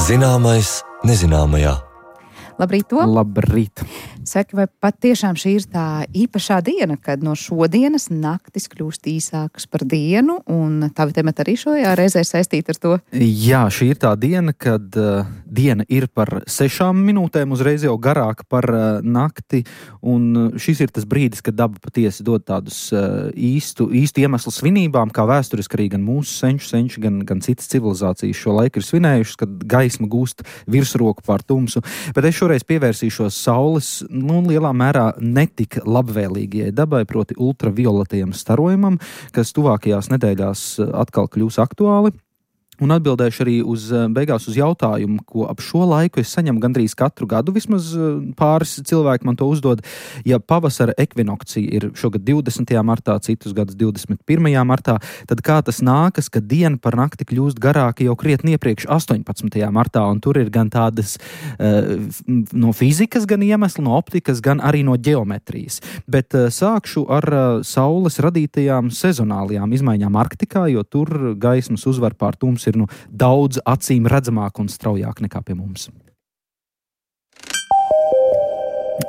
Zināmais nezināmajā. Labrīt, to! Labrīt! Saki, vai patiešām šī ir tā īpašā diena, kad no šodienas naktis kļūst īsākas par dienu, un tavi temati arī šajā reizē saistīti ar to? Jā, šī ir tā diena, kad diena ir par 6 minūtēm, uzreiz jau garāka par nakti, un šis ir tas brīdis, kad daba patiesi dod tādus īstu iemeslu svinībām, kā vēsturiski arī gan mūsu senči, gan citas civilizācijas šo laiku ir svinējušas, kad gaisma gūst virsroku pār tumsu. Bet es šoreiz pievērsīšos saules, lielā mērā netik labvēlīgajai dabai, proti ultravioletajam starojumam, kas tuvākajās nedēļās atkal kļūs aktuāli. Un atbildēšu arī beigās uz jautājumu, ko ap šo laiku es saņemu gandrīz katru gadu, vismaz pāris cilvēki man to uzdod. Ja pavasara ekvinokcija ir šogad 20. martā, citus gadus 21. martā, tad kā tas nākas, ka diena par nakti kļūst garāka jau krietni iepriekš 18. martā, un tur ir gan tādas no fizikas gan iemesli, no optikas, gan arī no ģeometrijas. Bet sākšu ar saules radītajām sezonālajām izmaiņām Arktikā, jo tur gaismas uzvar pār tums ir daudz acīm redzamāk un straujāk nekā pie mums.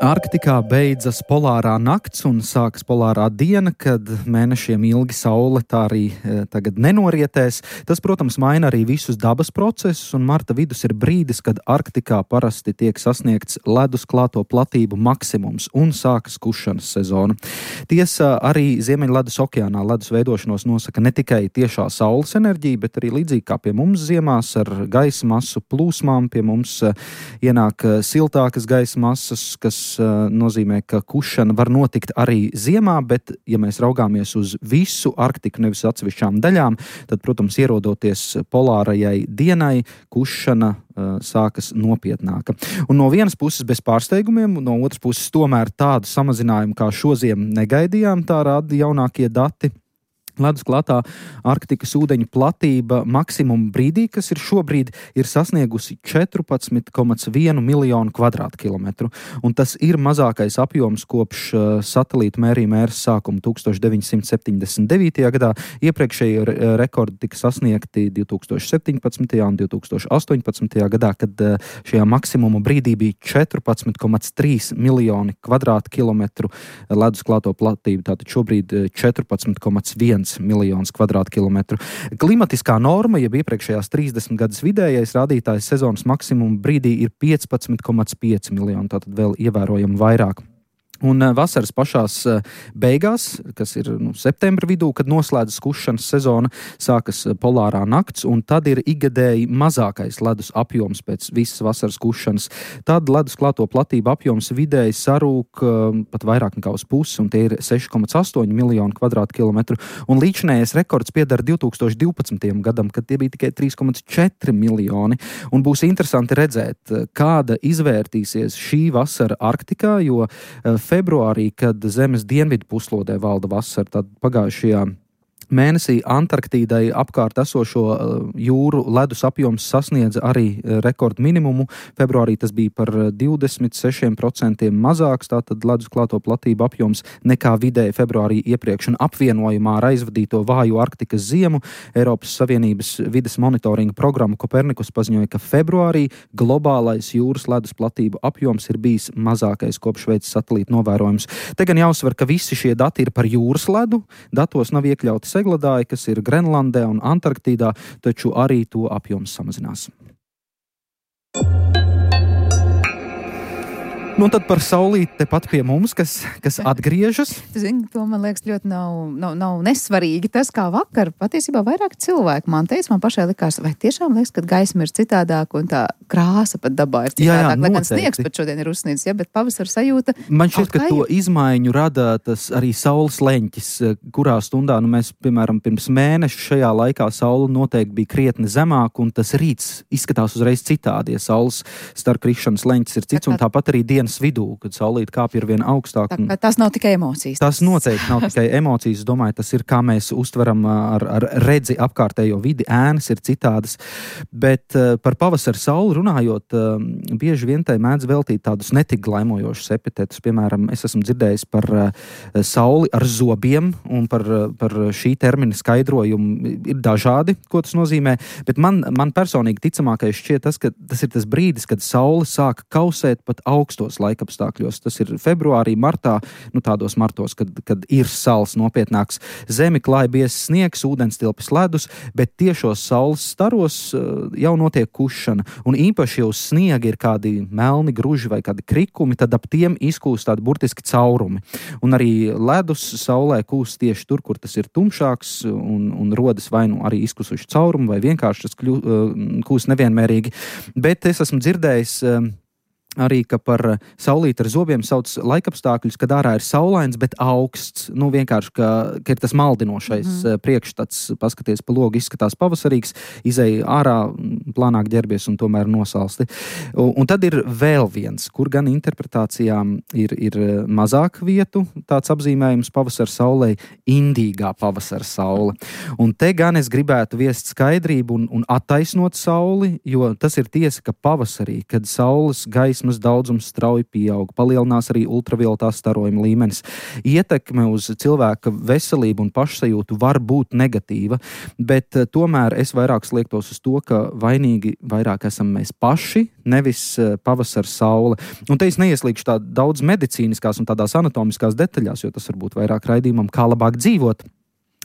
Arktikā beidzas polārā nakts un sākas polārā diena, kad mēnešiem ilgi saule tā arī tagad nenorietēs. Tas, protams, maina arī visus dabas procesus, un marta vidus ir brīdis, kad Arktikā parasti tiek sasniegts ledus klāto platību maksimums un sākas kušanas sezona. Tiesa, arī Ziemeļledus okeānā ledus veidošanos nosaka ne tikai tiešā saules enerģija, bet arī līdzīgi kā pie mums ziemās ar gaisa masu plūsmām. Pie mums ienāk siltākas gaisa masas, kas nozīmē, ka kušana var notikt arī ziemā, bet, ja mēs raugāmies uz visu Arktiku, nevis atsevišķām daļām, tad, protams, ierodoties polārajai dienai, kušana sākas nopietnāka. Un no vienas puses bez pārsteigumiem, no otras puses tomēr tādu samazinājumu kā šoziem negaidījām, tā rāda jaunākie dati. Ledus klātā Arktikas ūdeņu platība maksimuma brīdī, kas ir šobrīd, ir sasniegusi 14,1 miljonu kvadrātkilometru. Un tas ir mazākais apjoms kopš satelītu mērījuma ēras sākuma 1979. gadā. Iepriekšēji rekordi tika sasniegti 2017. un 2018. gadā, kad šajā maksimuma brīdī bija 14,3 miljoni kvadrātkilometru ledus klāto platību. Tātad šobrīd 14,1 miljonus kvadrātkilometru. Klimatiskā norma, jeb iepriekšējās 30 gadus vidējais rādītājs sezonas maksimuma brīdī ir 15,5 miljoni, tātad vēl ievērojami vairāk. Un vasaras pašās beigās, kas ir septembra vidū, kad noslēdzas kušanas sezona, sākas polārā nakts, un tad ir ikgadēji mazākais ledus apjoms pēc visas vasaras kušanas. Tad ledus klāto platību apjoms vidēji sarūk pat vairāk nekā uz pusi, un tie ir 6,8 miljonu kvadrātkilometru. Un līdzinējais rekords piedara 2012. gadam, kad tie bija tikai 3,4 miljoni. Un būs interesanti redzēt, kāda izvērtīsies šī vasara Arktikā, jo februārī, kad Zemes dienvidu puslodē valda vasara, tad pagājušajā mēnesī Antarktīdai apkārt esošo jūru ledus apjoms sasniedza arī rekordu minimumu. Februārī tas bija par 26% mazāks, tātad ledus klāto platību apjoms nekā vidēji februārī iepriekš. Un apvienojumā ar aizvadīto vāju Arktikas ziemu Eiropas Savienības vides monitoringa programma Kopernikus paziņoja, ka februārī globālais jūras ledus platību apjoms ir bijis mazākais kopš veids satelīta novērojums. Te gan jāuzsver, ka visi šie dati ir par jūras ledu. Datos nav iekļauti segledāji, kas ir Grenlandē un Antarktīdā, taču arī to apjoms samazinās. Nu, tad par saulīti tepat pie mums, kas atgriežas. Zini, to man liekas ļoti nav nesvarīgi. Tas, kā vakar, patiesībā vairāk cilvēku man teica, man pašai likās, vai tiešām liekas, ka gaisma ir citādāk un tā krāsa pat dabā ir citādāk. Lai gan sniegs pat šodien ir uzsniedzis, ja, bet pavasara sajūta. Man šķiet, ka to izmaiņu rada tas arī saules leņķis, kurā stundā, mēs, piemēram, pirms mēneša šajā laikā saule noteikti bija krietni zemāk, un tas rīts izskatās uzreiz citādi, ja saules starpkrišanas leņķis ir cits, un tāpat arī diena dienas vidū, kad saulīt kāpj ir vien augstāk. Tas nav tikai emocijas. Tas noteikti nav tikai emocijas. Es domāju, tas ir, kā mēs uztveram ar redzi apkārtējo vidi, ēnas ir citādas. Bet par pavasara sauli runājot, bieži vien tai mēdz veltīt tādus netik glaimojošus epitetus. Piemēram, es esmu dzirdējis par sauli ar zobiem, un par šī termina skaidrojumu ir dažādi, ko tas nozīmē. Bet man personīgi ticamākais šķiet tas, ka tas ir tas brīdis, kad saule sāk kausēt pat augstos laikapstākļos. Tas ir februārī, martā, tādos martos, kad ir sals nopietnāks. Zemi klāj biezs sniegs, ūdenstilpes ledus, bet tiešos saules staros jau notiek kušana. Un īpaši jau sniegi ir kādi melni gruži vai kādi krikumi, tad ap tiem izkūst tādi burtiski caurumi. Un arī ledus saulē kūst tieši tur, kur tas ir tumšāks un rodas vai nu arī izkusuši caurumi vai vienkārši tas kūst nevienmērīgi. Bet es esmu dzirdējis arī, ka par saulīti ar zobiem sauc laikapstākļus, kad ārā ir saulains, bet augsts. Vienkārši, ka ir tas maldinošais priekšstats, paskaties pa logu, izskatās pavasarīgs, izej ārā, plānāk ģerbies un tomēr nosalsti. Un tad ir vēl viens, kur gan interpretācijām ir mazāk vietu, tāds apzīmējums pavasara saulē, indīgā pavasara saule. Un te gan es gribētu viest skaidrību un attaisnot sauli, jo tas ir tiesa, ka pavasarī, kad saules gaismas daudzums strauji pieaug, palielinās arī ultravioletā starojuma līmenis. Ietekme uz cilvēka veselību un pašsajūtu var būt negatīva, bet tomēr es vairāk sliektos uz to, ka vainīgi vairāk esam mēs paši, nevis pavasara saule. Un te es neieslīgšu tā daudz medicīniskās un tādās anatomiskās detaļās, jo tas varbūt vairāk raidījumam, kā labāk dzīvot.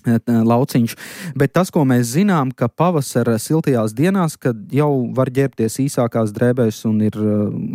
Lauciņš. Bet tas, ko mēs zinām, ka pavasara siltajās dienās, kad jau var ģērbties īsākās drēbēs un ir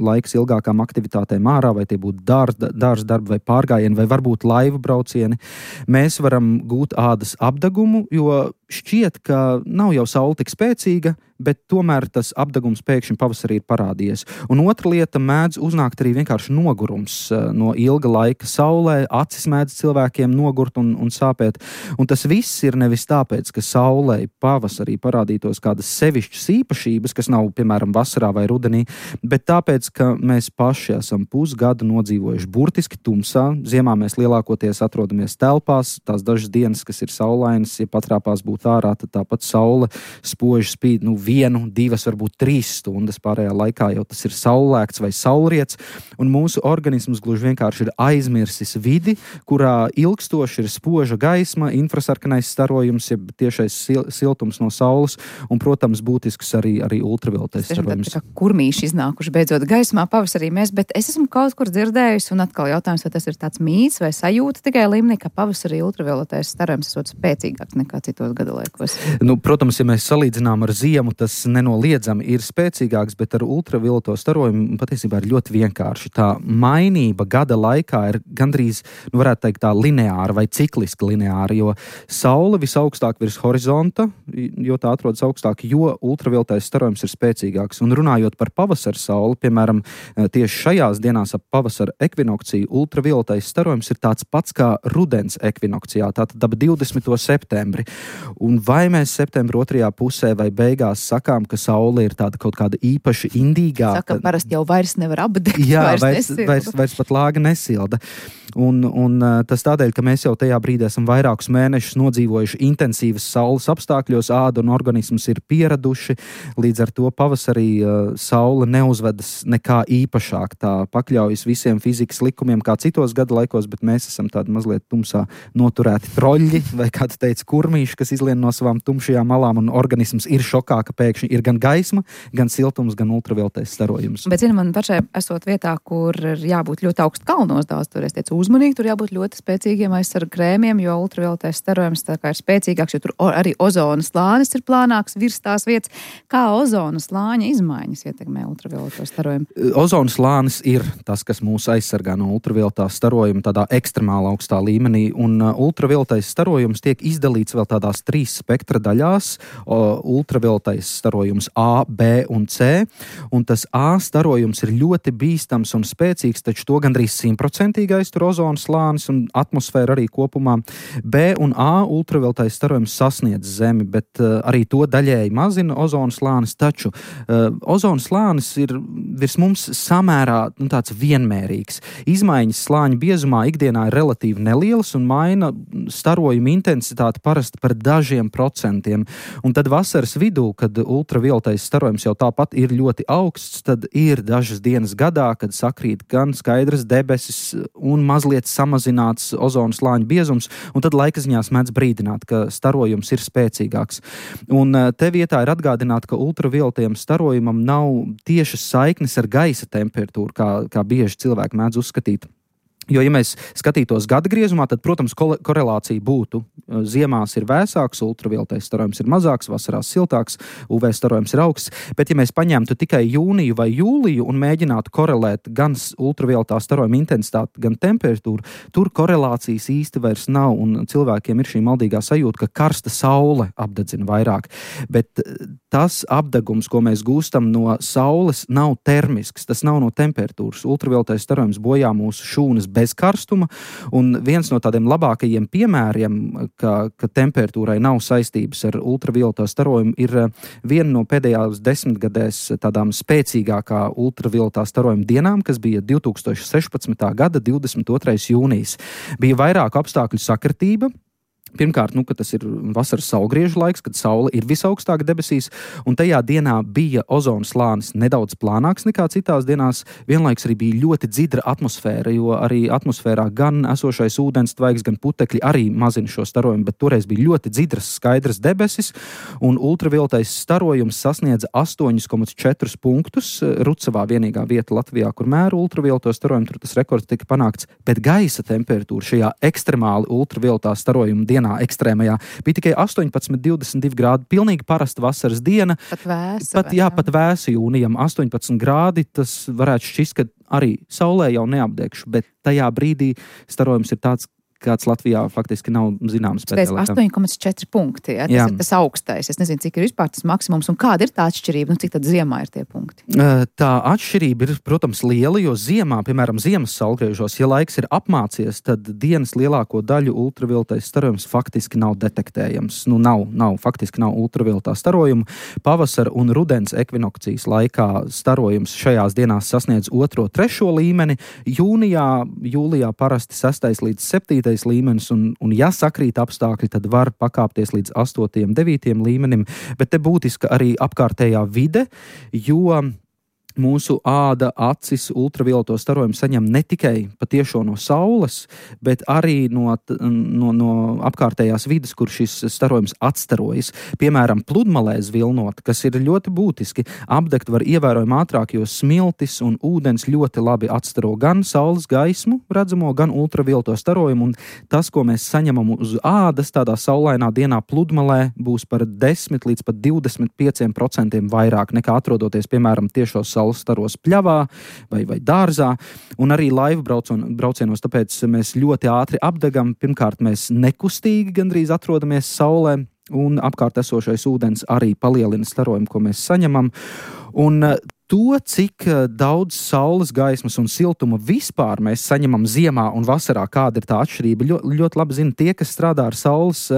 laiks ilgākām aktivitātēm ārā, vai tie būtu dārza darbi vai pārgājieni, vai varbūt laivu braucieni, mēs varam gūt ādas apdegumu, jo šķiet, ka nav jau saule tik spēcīga, bet tomēr tas apdegums pēkšņi pavasarī ir parādījies. Un otra lieta mēdz uznākt arī vienkārši nogurums no ilga laika saulē, acis mēdz cilvēkiem nogurt un sāpēt. Un tas viss ir nevis tāpēc, ka saulē pavasarī parādītos kādas sevišķas īpašības, kas nav, piemēram, vasarā vai rudenī, bet tāpēc, ka mēs paši esam pusgadu nodzīvojuši burtiski tumsā. Ziemā mēs lielākoties atrodamies telpās, tās dažas dienas, kas ir saulainas, ja patrāpās būt ārā, tad tāpat saule spoži spīd 1, 2, varbūt 3 stundas, pārējā laikā jau tas ir saulēkts vai saulriets, un mūsu organisms gluži vienkārši ir aizmirsis vidi, kurā ilgstoši ir spoža gaisma, infrasarkanais starojums, jeb tiešais siltums no saules, un, protams, būtisks arī ultravioletais starojums. Tā kā kurmīši iznākuši beidzot gaismā pavasarī mēs, bet es esmu kaut kur dzirdējusi, un atkal jautājums, vai tas ir tāds mīts vai sajūta tikai līmenī, ka pavasarī ultravioletais starojums esot spēcīgāks nekā citos gadalaikos. Protams, ja mēs salīdzinām ar ziemu, tas nenoliedzami ir spēcīgāks, bet ar ultravioleto starojumu patiesībā ir ļoti vienkārši. Tā mainība gada laikā ir gandrīz, varētu teikt, tā lineāra vai cikliski lineāra, jo saule visaugstāk virs horizonta, jo tā atrodas augstāk, jo ultravioletais starojums ir spēcīgāks. Un runājot par pavasara sauli, piemēram, tieši šajās dienās ap pavasara ekvinokciju, ultravioletais starojums ir tāds pats kā rudens ekvinokcijā, tātad ap 20. septembri. Un vai mēs septembra otrajā pusē vai beigās sakām, ka saule ir tāda kaut kāda īpaši indīgā. Saka, parasti jau vairs nevar apdegt, vairs pat lāga nesilda. Un tas tādēļ, ka mēs jau tajā brīdī esam vairākus mēnešus nodzīvojuši intensīvas saules apstākļos, āda un organisms ir pieraduši, līdz ar to pavasarī saule neuzvedas nekā īpašāk, tā pakļaujas visiem fizikas likumiem kā citos gada laikos, bet mēs esam tādi mazliet tumsā noturēti troļļi, vai kāds teica kurmīši, kas izlien no savām tumšajām malām, un organisms ir šokā, ka pēkšņi ir gan gaisma, gan siltums, gan ultravioletais starojums. Bet, zini, man pašai esot vietā, kur ir jābūt ļoti augstu kalnos, daudz tur es teicu uzmanīgi, tur jābūt ļoti spēcīgiem aizsarga krēmiem, jo ultravioletais starojums tā kā ir spēcīgāks, jo tur arī ozona slānis ir plānāks virs tās vietas. Kā ozona slāņa izmaiņas ietekmē ultravioleto starojumu? Ozona slānis ir tas, kas mūs aizsargā no ultravioletā starojuma tādā ekstremāli augstā līmenī, un ultravioletais starojums tiek izdalīts vēl tādās trīs spektra daļās - ultravioletais starojums A, B un C, un tas A starojums ir ļoti bīstams un spēcīgs, taču to gandrīz 100% aiztur ozona slānis un atmosfēra arī kopumā. B un A ultravioletais starojums sasniedz Zemi, bet arī to daļēji mazina ozona slānis, taču ozona slānis ir virs mums samērā tāds vienmērīgs. Izmaiņas slāņa biezumā ikdienā ir relatīvi nelielas un maina starojuma intensitāti parasti par dažiem procentiem. Un tad vasaras vidū, kad ultravioletais starojums jau tāpat ir ļoti augsts, tad ir dažas dienas gadā, kad sakrīt gan skaidras debesis un mazliet samazināts ozona slāņa biezums, un tad laikaziņās mēdz brīdināt, ka starojums ir spēcīgāks. Un te vietā ir atgādināt, ka ultravioletajam starojumam nav tiešas saiknes ar gaisa temperatūru, kā bieži cilvēki mēdz uzskatīt. Jo, ja mēs skatītos gada griezumā, tad, protams, korelācija būtu. Ziemās ir vēsāks, ultravioletais starojums ir mazāks, vasarās siltāks, UV starojums ir augsts. Bet, ja mēs paņemtu tikai jūniju vai jūliju un mēģinātu korelēt gan ultravioletā starojuma intensitāti, gan temperatūru, tur korelācijas īsti vairs nav, un cilvēkiem ir šī maldīgā sajūta, ka karsta saule apdedzina vairāk. Bet tas apdegums, ko mēs gūstam no saules, nav termisks, tas nav no temperatūras. Ultravioletais starojums bojā mūsu šūnas bez karstuma, un viens no tādiem labākajiem piemēriem, ka temperatūrai nav saistības ar ultravioleto starojumu, ir viena no pēdējās 10 gadēs tādām spēcīgākā ultravioletā starojuma dienām, kas bija 2016. gada 22. jūnijas. Bija vairāku apstākļu sakritība. Pirmkārt, ka tas ir vasaras saulgriežu laiks, kad saule ir visaugstāk debesīs, un tajā dienā bija ozona slānis nedaudz plānāks nekā citās dienās. Vienlaiks arī bija ļoti dzidra atmosfēra, jo arī atmosfērā gan esošais ūdens tvaiks, gan putekļi arī mazina šo starojumu, bet toreiz bija ļoti dzidras, skaidras debesis, un ultravioletais starojums sasniedza 8,4 punktus. Rucavā vienīgā vieta Latvijā, kur mēra ultravioleto starojumu, tur tas rekords tika panākts, bet gaisa temperatūra šajā ekstremāli ultravioletā starojuma dienā ekstrēmajā bija tikai 18,22 grādi. Pilnīgi parasta vasaras diena. Pat vēsa jūnijam 18 grādi. Tas varētu šķist, ka arī saulē jau neapdegšu, bet tajā brīdī starojums ir tāds, kāds Latvijā faktiski nav zināms. Pēc 8,4 punkti, ja? Tas ir tas augstais. Es nezinu, cik ir vispār tas maksimums un kāda ir tā atšķirība, cik tad ziemā ir tie punkti? Tā atšķirība ir, protams, liela, jo ziemā, piemēram, ziemas saulgriežos, ja laiks ir apmācies, tad dienas lielāko daļu ultravioletais starojums faktiski nav detektējams. Faktiski nav ultravioletā starojuma. Pavasara un rudens ekvinokcijas laikā starojums šajās dienās sasniedz 2., 3. līmeni. Jūlijā parasti 6. līdz 7. līmenis, un ja sakrīt apstākļi, tad var pakāpties līdz 8., 9. līmenim, bet te būtiska arī apkārtējā vide, jo mūsu āda, acis ultravioleto starojumu saņem ne tikai patiešo no saules, bet arī no apkārtējās vides, kur šis starojums atstarojas. Piemēram, pludmalēs vilnot, kas ir ļoti būtiski, apdegt var ievērojami ātrāk, jo smiltis un ūdens ļoti labi atstaro gan saules gaismu redzamo, gan ultravioleto starojumu, un tas, ko mēs saņemam uz ādas tādā saulainā dienā pludmalē, būs par 10 līdz pat 25% vairāk nekā atrodoties, piemēram, tiešos saules staros pļavā vai dārzā, un arī laivu braucienos, tāpēc mēs ļoti ātri apdegam. Pirmkārt, mēs nekustīgi gandrīz atrodamies saulē, un apkārt esošais ūdens arī palielina starojumu, ko mēs saņemam. Un to, cik daudz saules gaismas un siltuma vispār mēs saņemam ziemā un vasarā, kāda ir tā atšķirība, ļoti labi zina tie, kas strādā ar saules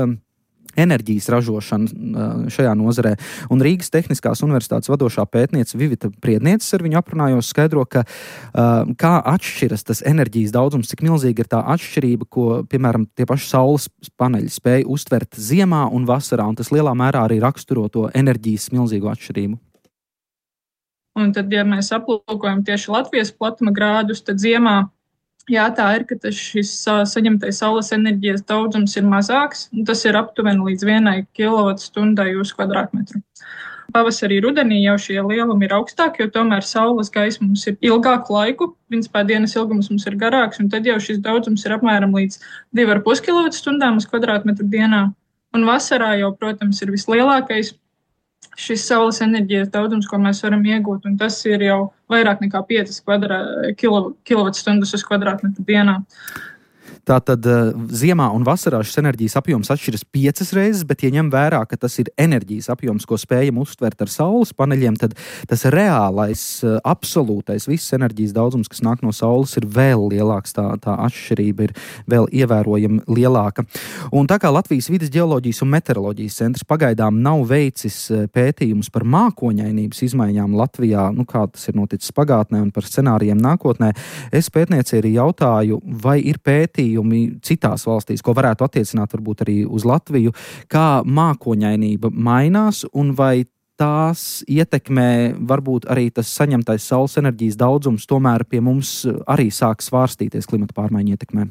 enerģijas ražošanu šajā nozarē. Un Rīgas Tehniskās universitātes vadošā pētniece Vivita Priednieces ar viņu aprunājos skaidro, ka kā atšķiras tas enerģijas daudzums, cik milzīga ir tā atšķirība, ko, piemēram, tie paši saules paneļi spēja uztvert ziemā un vasarā, un tas lielā mērā arī raksturo to enerģijas milzīgo atšķirību. Un tad, ja mēs aplūkojam tieši Latvijas platuma grādus, tad ziemā tā ir, ka šis saņemtais saules enerģijas daudzums ir mazāks, un tas ir aptuveni līdz 1 kWh uz kvadrātmetru. Pavasarī, rudenī jau šie lielumi ir augstāki, jo tomēr saules gaisma mums ir ilgāku laiku, principā dienas ilgums mums ir garāks, un tad jau šis daudzums ir apmēram līdz 2,5 kWh uz kvadrātmetru dienā. Un vasarā jau, protams, ir vislielākais šis saules enerģijas daudzums, ko mēs varam iegūt, un tas ir jau vairāk nekā 5 kWh uz kvadrātmetru dienā. Tātad ziemā un vasarā šis enerģijas apjoms atšķiras 5 reizes, bet, ja ņem vērā, ka tas ir enerģijas apjoms, ko spējam uztvert ar saules paneļiem, tad tas reālais, absolūtais viss enerģijas daudzums, kas nāk no saules, ir vēl lielāks. Tā atšķirība ir vēl ievērojami lielāka. Un tā kā Latvijas vides ģeoloģijas un meteoroloģijas centrs pagaidām nav veicis pētījumus par mākoņainības izmaiņām Latvijā, kā tas ir noticis pagātnē un par scenārijiem nākotnē, es pētniecei arī jautāju, vai ir pētījumi citās valstīs, ko varētu attiecināt varbūt arī uz Latviju, kā mākoņainība mainās un vai tās ietekmē varbūt arī tas saņemtais saules enerģijas daudzums tomēr pie mums arī sāk svārstīties klimata pārmaiņu ietekmē.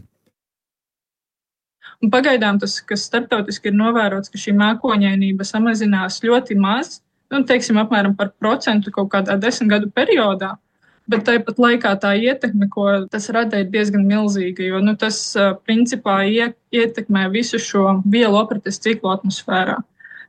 Un pagaidām tas, kas starptautiski ir novērots, ka šī mākoņainība samazinās ļoti maz, teiksim apmēram par 1% kaut kādā 10 gadu periodā. Bet tāpat laikā tā ietekme, ko tas rada, ir diezgan milzīga, jo tas principā ietekmē visu šo vielu aprites ciklu atmosfērā.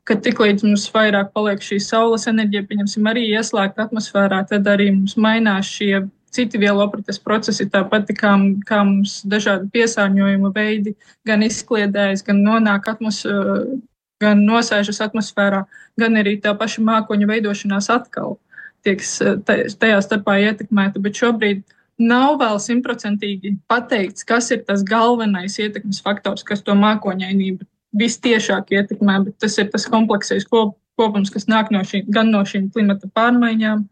Kad tiklīdz mums vairāk paliek šī saules enerģija, pieņemsim, arī ieslēgta atmosfērā, tad arī mums mainās šie citi vielu aprites procesi, tāpat kā mums dažādi piesārņojuma veidi gan izkliedējas, gan nonāk gan nosēžas atmosfērā, gan arī tā paša mākoņa veidošanās atkal tieks tajā starpā ietekmēta, bet šobrīd nav vēl 100% pateikts, kas ir tas galvenais ietekmes faktors, kas to mākoņainību vistiešāk ietekmē, bet tas ir tas kompleksais kopums, kas nāk gan no šīm klimata pārmaiņām,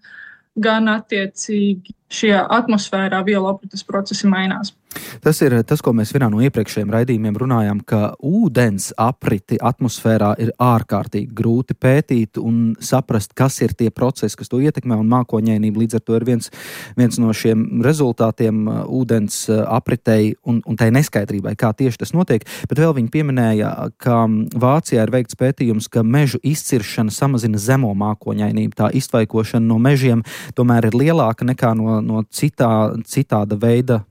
gan attiecīgi šie atmosfērā vielu aprites procesi mainās. Tas ir tas, ko mēs vienā no iepriekšējiem raidījumiem runājām, ka ūdens apriti atmosfērā ir ārkārtīgi grūti pētīt un saprast, kas ir tie procesi, kas to ietekmē, un mākoņainība līdz ar to ir viens no šiem rezultātiem ūdens apritei un tai neskaidrībai, kā tieši tas notiek. Bet vēl viņi pieminēja, ka Vācijā ir veikts pētījums, ka mežu izciršana samazina zemo mākoņainību. Tā iztvaikošana no mežiem tomēr ir lielāka nekā no citāda veida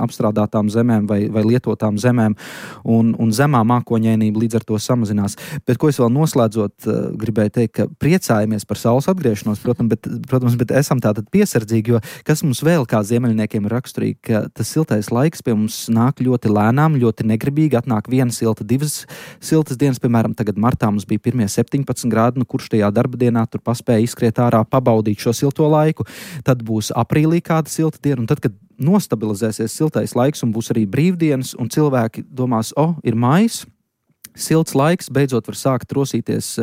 apstrādātām zemēm vai lietotām zemēm, un zemā mākoņainība līdz ar to samazinās. Bet ko es vēl noslēdzot gribēju teikt, ka priecājamies par saules atgriešanos, protams, bet esam tātad piesardzīgi, jo kas mums vēl kā ziemeļniekiem ir raksturīgi, ka tas siltais laiks pie mums nāk ļoti lēnām, ļoti negribīgi, atnāk viena silta, divas siltas dienas, piemēram, tagad martā mums bija pirmie 17 grādi, kurš tajā darba dienā tur paspēja izskriet ārā, pabaudīt šo silto laiku, tad būs aprīlī kāda silta diena, un tad, kad nostabilizēsies siltais laiks un būs arī brīvdienas, un cilvēki domās, ir maijs, silts laiks, beidzot var sākt rosīties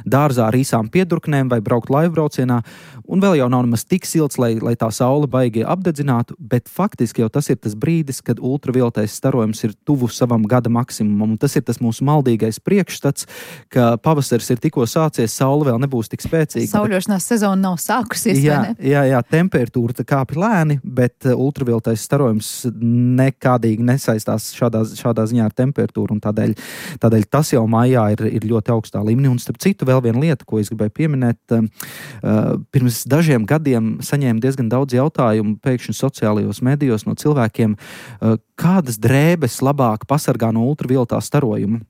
dārzā ar īsām piedurknēm vai braukt laivbraucienā, un vēl jau nav nemaz tik silts, lai tā saule baigi apdedzinātu, bet faktiski jau tas ir tas brīdis, kad ultravioletais starojums ir tuvu savam gada maksimumam, un tas ir tas mūsu maldīgais priekšstats, ka pavasaris ir tikko sācies, saule vēl nebūs tik spēcīga. Sauļošanās sezona nav sākusies, vai ne? Jā, temperatūra kāpj lēni, bet ultravioletais starojums nekādīgi nesaistās šādā ziņā ar temperatūru, un tādēļ tas jau maijā ir ļoti augstā līmenī. Un starp citu vēl viena lieta, ko es gribēju pieminēt, pirms dažiem gadiem saņēmu diezgan daudz jautājumu pēkšņi sociālajos medijos no cilvēkiem, kādas drēbes labāk pasargā no ultravioletā starojuma.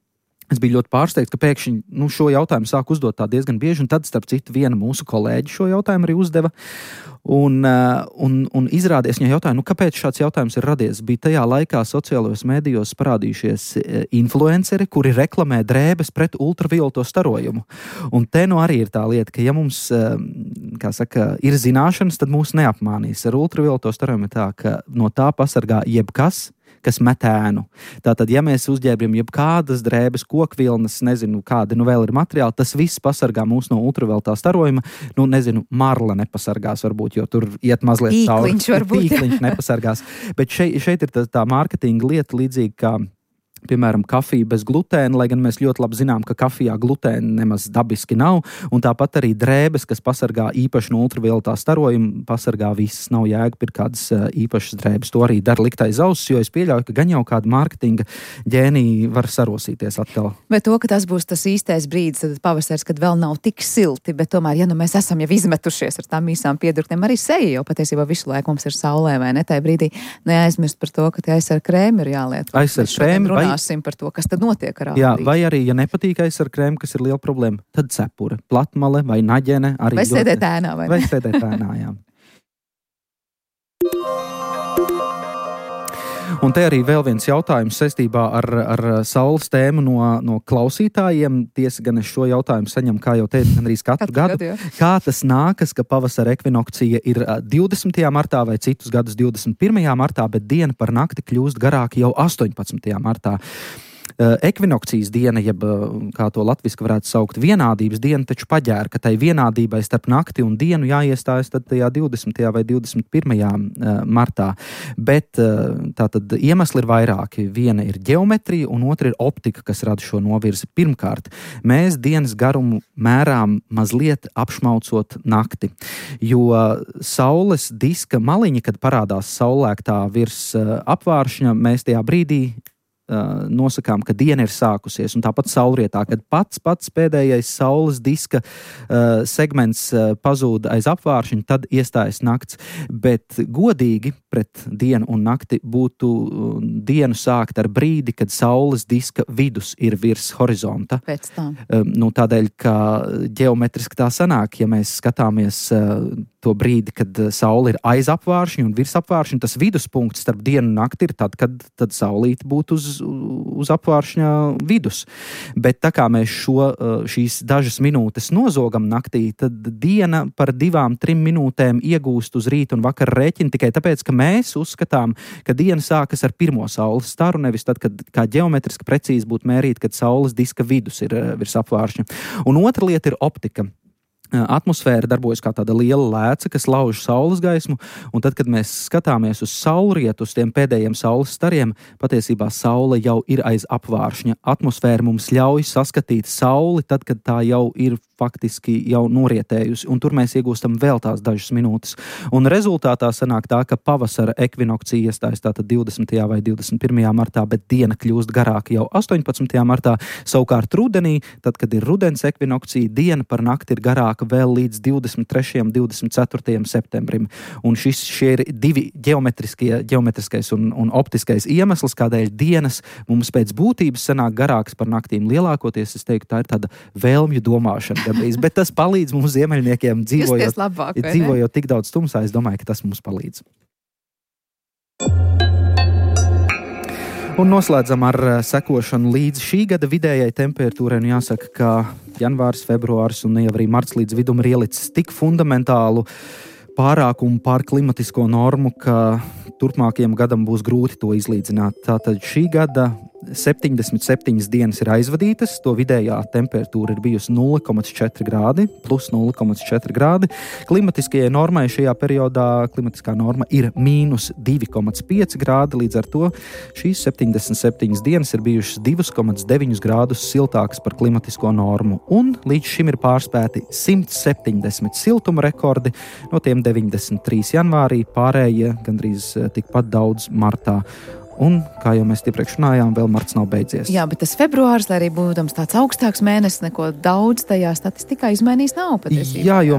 Es biju ļoti pārsteigts, ka pēkšņi šo jautājumu sāk uzdot tā diezgan bieži, un tad, starp citu, viena mūsu kolēģi šo jautājumu arī uzdeva. Un izrādījās, viņa jautāja, kāpēc šāds jautājums ir radies. Bija tajā laikā sociālajos medijos parādījušies influenceri, kuri reklamē drēbes pret ultravioleto starojumu. Un te arī ir tā lieta, ka ja mums, ir zināšanas, tad mūs neapmānīs. Ar ultravioleto starojumu ir tā, ka no tā pasargā jebkas, kas met ēnu. Tātad, ja mēs uzģērbjam jebkādas drēbes, kokvilnas, nezinu, kādi vēl ir materiāli, tas viss pasargā mūs no ultravioletā starojuma. Marla nepasargās varbūt, jo tur iet mazliet cauri. Tīkliņš nepasargās. Bet šeit ir tā mārketinga lieta līdzīgi kā piemēram, kafija bez glutēna, lai gan mēs ļoti labi zinām, ka kafijā glutēna nemaz dabiski nav, un tāpat arī drēbes, kas pasargā īpaši no ultravioletā starojuma, pasargā visas, nav jēga kādas īpašas drēbes. To arī dara likt aiz auss, jo es pieļauju, ka gan jau kāda mārketinga ģēnija var sarosīties atkal. Bet to, ka tas būs tas īstais brīdis, tad pavasaris, kad vēl nav tik silti, bet tomēr, ja mēs esam jau izmetušies ar tām īsām piedurknēm, arī seja jau patiesībā visu laiku mums ir saulē, vai ne? Tajā brīdī neaizmirst par to, ka tie aizsarga krēmi ir jāliet. Par to, kas tad notiek ar ātrību. Jā, vai arī, ja nepatīk aizsarga krēmi, kas ir liela problēma, tad cepure, platmale vai naģene. Vai sēdēt ēnā, vai ne? Vai sēdēt ēnā, jā. Un te arī vēl viens jautājums saistībā ar saules tēmu no klausītājiem. Tiesa gan es šo jautājumu saņemu, kā jau teicu, gandrīz katru gadu. Kā tas nākas, ka pavasara ekvinokcija ir 20. martā vai citus gadus 21. martā, bet diena par nakti kļūst garāka jau 18. martā. Ekvinokcijas diena, jeb kā to latviski varētu saukt, vienādības diena, taču paģēra, ka tai vienādībai starp nakti un dienu jāiestājas tad tajā 20. vai 21. martā. Bet tātad iemesli ir vairāki. Viena ir ģeometrija un otra ir optika, kas rada šo novirzi. Pirmkārt, mēs dienas garumu mērām mazliet apšmaucot nakti, jo saules diska maliņa, kad parādās saulēktā virs apvāršņa, mēs tajā brīdī nosakām, ka diena ir sākusies, un tāpat saulrietā, kad pats pēdējais saules diska segments pazūd aiz apvāršņa, tad iestājas nakts. Bet godīgi pret dienu un nakti būtu dienu sākt ar brīdi, kad saules diska vidus ir virs horizonta. Pēc tam. Tādēļ, ka ģeometriski tā sanāk, ja mēs skatāmies to brīdi, kad saule ir aiz apvāršņa un virs apvāršņa, tas viduspunkts starp dienu un nakti ir tad, kad saulīte būtu uz apvāršņa vidus. Bet tā kā mēs šīs dažas minūtes nozogam naktī, tad diena par 2-3 minūtēm iegūst uz rītu un vakara rēķinu tikai tāpēc, ka mēs uzskatām, ka diena sākas ar pirmo saules staru, nevis tad, kad kā ģeometriski precīzi būtu mērīt, kad saules diska vidus ir virs apvāršņa. Un otra lieta ir optika. Atmosfēra darbojas kā tāda liela lēca, kas lauž saules gaismu, un tad, kad mēs skatāmies uz saulrietu, uz tiem pēdējiem saules stariem, patiesībā saule jau ir aiz apvāršņa. Atmosfēra mums ļauj saskatīt sauli tad, kad tā jau ir faktiski jau norietējusi, un tur mēs iegūstam vēl tās dažas minūtes. Un rezultātā sanāk tā, ka pavasara ekvinokcija iestājas tātad 20. vai 21. martā, bet diena kļūst garāka jau 18. martā. Savukārt rudenī, tad, kad ir rudens ekvinokcija, diena par nakti ir garāka vēl līdz 23. un 24. septembrim. Un šie ir divi ģeometriskais un optiskais iemesls, kādēļ dienas mums pēc būtības sanāk garākas par naktīm. Lielākoties, es teiktu, tā ir tāda vēlmju domāšana. Bet tas palīdz mums ziemeļniekiem dzīvojot tik daudz tumsā. Es domāju, ka tas mums palīdz. Un noslēdzam ar sekošanu līdz šī gada vidējai temperatūrai. Un jāsaka, ka janvārs, februārs un jau arī marts līdz vidum ir ielicis tik fundamentālu pārākumu pār klimatisko normu, ka turpmākajam gadam būs grūti to izlīdzināt. Tātad šī gada 77 dienas ir aizvadītas, to vidējā temperatūra ir bijusi 0,4 grādi, plus 0,4 grādi. Klimatiskajai normai šajā periodā klimatiskā norma ir mīnus 2,5 grādi, līdz ar to šīs 77 dienas ir bijušas 2,9 grādus siltākas par klimatisko normu, un līdz šim ir pārspēti 170 siltuma rekordi, no tiem 93 janvārī, pārējie gandrīz tikpat daudz martā. Un, kā jau mēs iepriekš runājām, vēl marts nav beidzies. Jā, bet tas februārs, lai arī būdams tāds augstāks mēnesis, neko daudz tajā statistikā izmainījis nav patiesībā. Jā, jo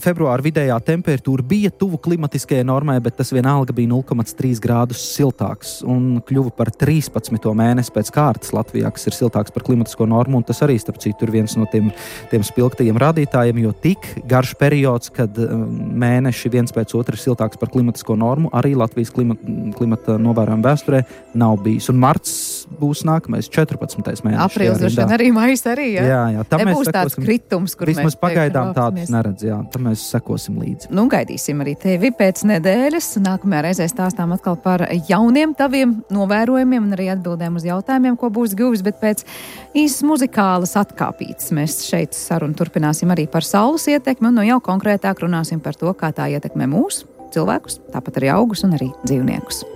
februāra vidējā temperatūra bija tuvu klimatiskajai normai, bet tas vienalga bija 0,3 grādus siltāks un kļuva par 13. mēnesi pēc kārtas Latvijā, kas ir siltāks par klimatisko normu, un tas arī, starp citu, ir viens no tiem spilgtajiem rādītājiem, jo tik garš periods, kad mēneši viens pēc otra ir siltāks par klimatisko normu, arī Latvijas klimata novērojuma vēsturē nav bijis. Un marts būs nākamais 14. mēnesis. Aprīlis droši vien arī, maijs arī, jā. Jā, nebūs tāds kritums, kur vismaz mēs pagaidām tādus neredz, jā. Tam mēs sekosim līdzi. Nu, gaidīsim arī tevi pēc nedēļas. Nākamajā reizē stāstām atkal par jauniem taviem novērojumiem un arī atbildēm uz jautājumiem, ko būs guvis, bet pēc īsas muzikālas atkāpītes mēs šeit sarunu turpināsim arī par saules ietekmi un jau konkrētāk runāsim par to, kā tā ietekmē mūs, cilvēkus, tāpat arī augus un arī dzīvniekus.